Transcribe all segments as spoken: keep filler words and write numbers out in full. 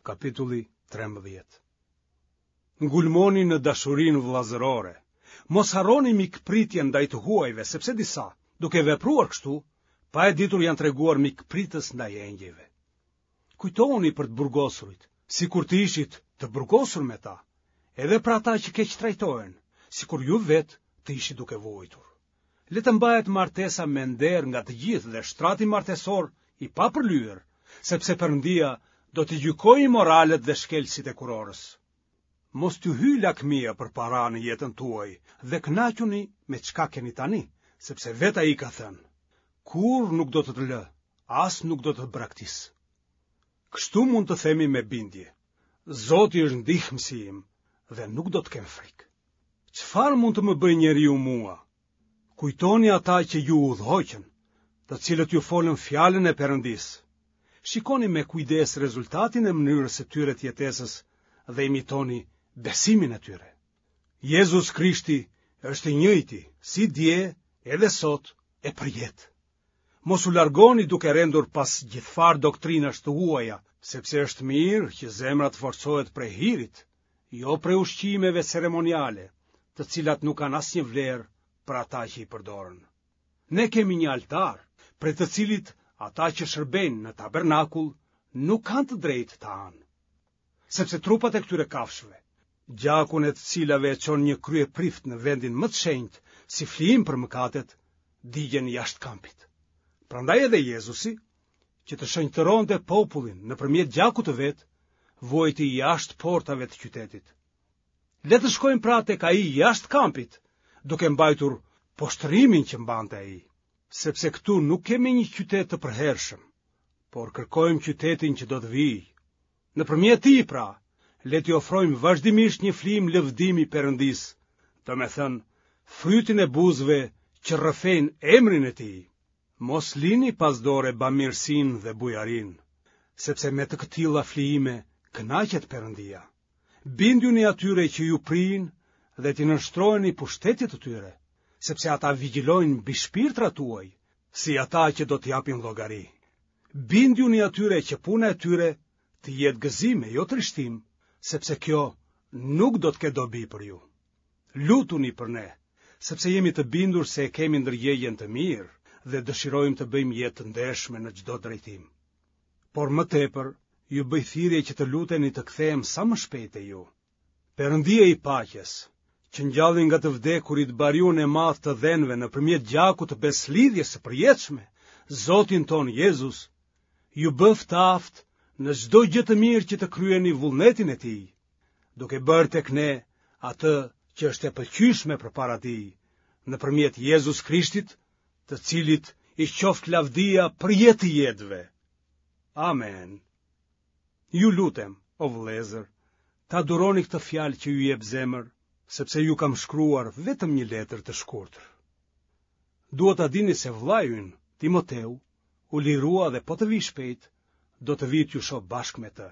Kapitulli trembëdhjetë. Ngulmoni në dashurinë vëllazërore. Mos harroni mikpritjen ndaj të huajve, sepse disa, duke vepruar kështu, pa e ditur janë treguar mikpritës ndaj engjëjve. Kujtohuni për të burgosurit, sikur të ishit të burgosur me ta, edhe për ata që keqtrajtohen, sikur ju vetë të ishit duke vuajtur. Le të mbahet martesa me nder nga të gjithë dhe shtrati martesor i papërlyer, sepse Perëndia do t'i gjykojë imoralët dhe shkelësit e kurorës. Mos t'ju hyjë lakmia për para në jetën tuaj dhe kënaquni me çka keni tani, sepse vetë ai ka thënë: Kurrë nuk do të të lë, as nuk do të të braktis. Kështu mund të themi me bindje: Zoti është ndihmësi im dhe nuk do të kem frikë. Çfarë mund të më bëjë njeriu mua? Kujtoni ata që ju udhëhoqën, të cilët ju folën fjalën e Perëndisë. Shikoni me kujdes rezultatin e mënyrës së tyre të jetesës dhe imitoni besimin e tyre. Jezus Krishti është i njëjti, si dje, edhe sot e përjetë. Mos u largoni duke rendur pas gjithfarë doktrinash të huaja, sepse është mirë që zemra të forcohet prej hirit, jo prej ushqimeve ceremoniale, të cilat nuk kanë asnjë vlerë për ata që i përdorën. Ne kemi një altar, prej të cilit ata që shërbejnë në tabernakull nuk kanë të drejtë të hanë. Sepse trupat e këtyre kafshëve, gjakun e të cilave e çon një kryeprift në vendin më të shenjtë si flijim për mëkatet, digjen jashtë kampit. Prandaj edhe Jezusi, që të shenjtëronte popullin nëpërmjet gjakut të vet, vuajti jashtë portave të qytetit. Le të shkojmë pra tek ai jashtë kampit, duke mbajtur poshtërimin që mbante ai, sepse këtu nuk kemi një qytet të përhershëm, por kërkojmë qytetin që do të vijë. Nëpërmjet tij pra, le t'i ofrojmë vazhdimisht një flijim lëvdimi Perëndisë, domethënë, frytin e buzëve që rrëfejnë emrin e tij. Mos lini pas dore bamirësinë dhe bujarinë, sepse me të këtilla flijime kënaqet Perëndia. Bindjuni atyre që ju prijnë dhe t'i nënshtroheni pushtetit të tyre, sepse ata vigjilojnë mbi shpirtrat tuaj, si ata që do të japin llogari. Bindjuni atyre që puna e tyre të jetë gëzim e jo trishtim, sepse kjo nuk do të ketë dobi për ju. Lutuni për ne, sepse jemi të bindur se e kemi ndërgjegjen të mirë dhe dëshirojmë të bëjmë jetë të ndershme në çdo drejtim. Por më tepër, ju bëj thirrje që të luteni të kthehem sa më shpejt te ju. Perëndia i paqes, që ngjalli nga të vdekurit bariun e madh të dhenve nëpërmjet gjakut të besëlidhjes së përjetshme, Zotin tonë Jezus, ju bëftë të aftë në çdo gjë të mirë që të kryeni vullnetin e tij, duke bërë tek ne atë që është e pëlqyeshme përpara tij, nëpërmjet Jezus Krishtit, të cilit i qoftë lavdia për jetë të jetëve. Amen. Ju lutem, o vëllezër, ta duroni këtë fjalë që ju jep zemër, sepse ju kam shkruar vetëm një letër të shkurtër. Dua ta dini se vëllai ynë, Timoteu, u lirua dhe po të vijë shpejt, do të vij t'ju shoh bashkë me të.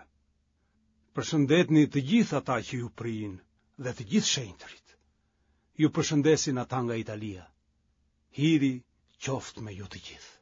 Përshëndetni të gjithë ata që ju prijnë dhe të gjithë shenjtërit. Ju përshëndesin ata nga Italia. Hiri qoftë me ju të gjithë.